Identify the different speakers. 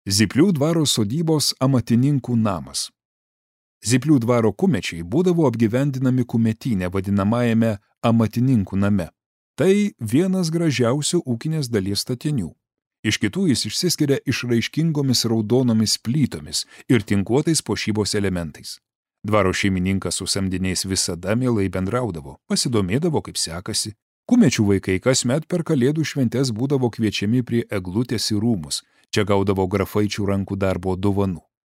Speaker 1: Zyplių dvaro sodybos amatininkų namas. Zyplių dvaro kumečiai būdavo apgyvendinami kumetyne vadinamajame amatininkų name. Tai vienas gražiausių ūkinės dalies statinių. Iš kitų jis išsiskiria išraiškingomis raudonomis plytomis ir tinkuotais puošybos elementais. Dvaro šeimininkas su samdiniais visada mielai bendraudavo, pasidomėdavo, kaip sekasi. Kumečių vaikai kasmet per Kalėdų šventes būdavo kviečiami prie eglutės į rūmus. Čia gaudavo grafaičių rankų darbo dovanų.